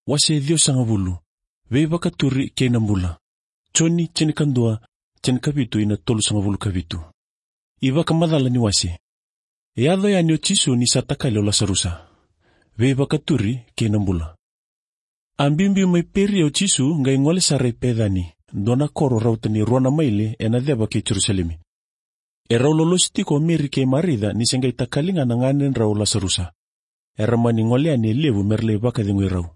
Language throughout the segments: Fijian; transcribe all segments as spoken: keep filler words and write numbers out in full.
Wase ciwasagavulu. Veivakaturi kei na bula. Joni tinikadua, tinikavitu ina tolusagavulu ka vitu. iVakamacala ni wase. E yaco yani o Jisu ni sa takali o Lasarusa. Veivakaturi kei na bula. A biubiu mai Peria o Jisu qai gole sara i Pecani, dua na koro rauta ni rua na maile ena ceva kei Jerusalemi. E rau lolosi tiko o Meri kei Marica ni se qai takali ga na ganedrau o Lasarusa. Era mani gole yani e levu me ra lai vakacegui rau.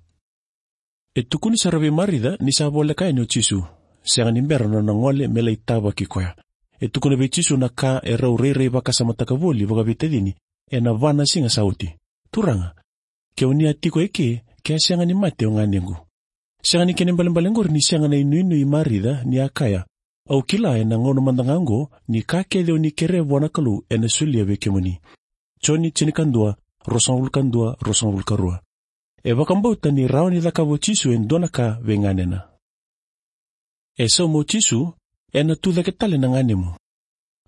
E tukuni sara vei Marica ni sa voleka yani o Jisu, sega ni bera na nona gole me lai tavaki koya. E tukuna vei Jisu na ka e rau rairai vakasamataka voli vakaveitacini ena va na siga sa oti. Turaga, ke o ni a tiko eke, ke a sega ni mate o ganequ. Sega ni kena ibalebale oqori ni sega na inuinui i Marica ni a kaya, au kila ena gauna mada ga oqo ni ka kece o ni kerea vua na Kalou ena solia vei kemuni. Joni tinikadua, ruasagavulu ka dua, ruasagavulu ka rua. E vakabauta ni rawa ni cakava o Jisu e dua na ka vei ganena. E sauma o Jisu, ena tu cake tale na ganemu.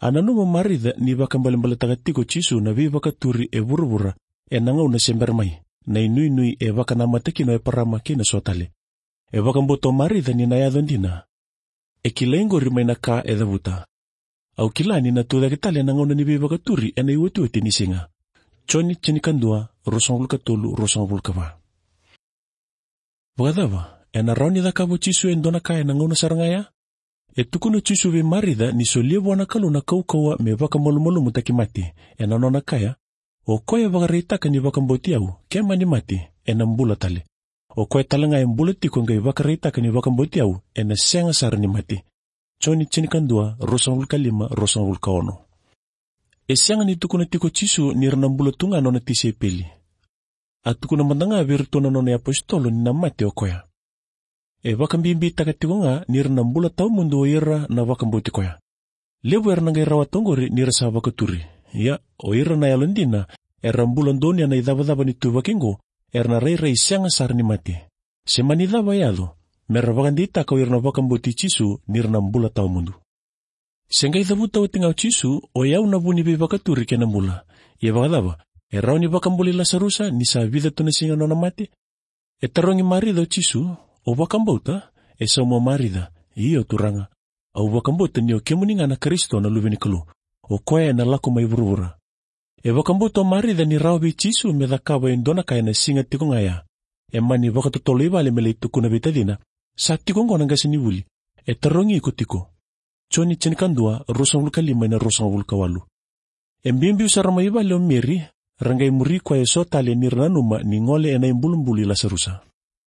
A nanuma o Marica ni vakaibalebaletaka tiko o Jisu na veivakaturi e vuravura ena gauna se bera mai, na inuinui e vakanamata kina o Eparama kei na so tale. E vakabauta o Marica ni na yaco dina. E kilai oqori mai na ka e cavuta. Au kila ni na tu cake tale ena gauna ni veivakaturi ena iotioti ni siga. Joni tinikadua, ruasagavulu ka tolu, ruasagavulu ka va. Vakacava, ena rawa ni cakava o Jisu e dua na ka ena gauna sara ga ya? E tukuna o Jisu vei Marica ni solia vua na Kalou na kaukauwa me vakamalumalumutaki mate, ena nona kaya, o koya e vakaraitaka ni vakabauti au, ke mani mate, ena bula tale. O koya tale ga e bula tiko qai vakaraitaka ni vakabauti au, ena sega sara ni mate. Joni tinikadua, ruasagavulu ka lima, ruasagavulu ka ono. E sega ni tukuna tiko o Jisu ni ra na bula tu ga na nona tisaipeli. A tukuna mada ga vei iratou na nona iapositolo ni na mate o koya. E vakabibitaka tiko ga ni ra na bula tawamudu o ira na vakabauti koya. Levu era na qai rawata oqori ni ra sa vakaturi. Ia, o ira na yalodina era bula donuya na icavacava ni ituvaki oqo, era na rairai sega sara ni mate. Se mani cava e yaco, me ra vakadeitaka o ira na vakabauti Jisu ni ra na bula tawamudu. Se qai cavuta oti ga o Jisu, o yau na vu ni veivakaturi kei na bula. Ia vakacava, e rawa ni vakabulai Lasarusa ni sa vica tu na siga na nona mate? E tarogi Marica o Jisu, o vakabauta? E sauma o Marica, io Turaga. Au vakabauta ni o kemuni ga na Karisito na Luve ni Kalou, o koya ena lako mai vuravura. E vakabauta o Marica ni rawa vei Jisu me cakava e dua na ka ena siga tiko ga ya. E mani vakatotolo i vale me lai tukuna vei tacina, sa tiko oqo na qasenivuli, e tarogi iko tiko. Joni tinikadua, ruasagavulu ka lima ina ruasagavulu ka walu. E biubiu sara mai vale o Meri, ra qai muri koya e so tale ni ra nanuma ni gole ena ibulubulu i Lasarusa.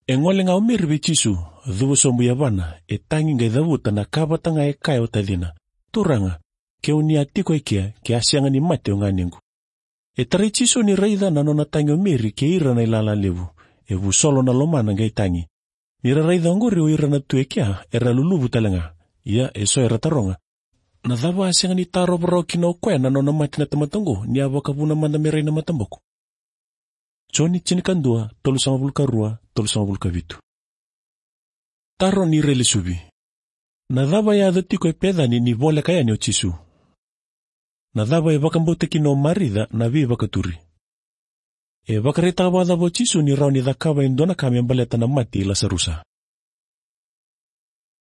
E gole ga o Meri vei Jisu, cuva sobu i yavana, e tagi qai cavuta na ka vata ga e kaya o tacina. Turaga, ke o ni a tiko e kea, ke a sega ni mate o ganequ. E tarai Jisu ni raica na nona tagi o Meri kei ira na ilala levu, e vusolo na lomana qai tagi. Ni ra raica oqori o ira na tu e kea, era luluvu tale ga. Ia e so era taroga, na cava a sega ni tarova rawa kina o koya na nona mate na tamata oqo, ni a vakavuna mada me rai na mataboko? Joni tinikadua, tolusagavulu ka rua, tolusagavulu ka vitu. Taro ni railesuvi. Na cava e yaco tiko e Pecani ni voleka yani o Jisu? Na cava e vakabauta kina o Marica na veivakaturi? E vakaraitaka vakacava o Jisu ni rawa ni cakava e dua na ka me baleta na mate i Lasarusa?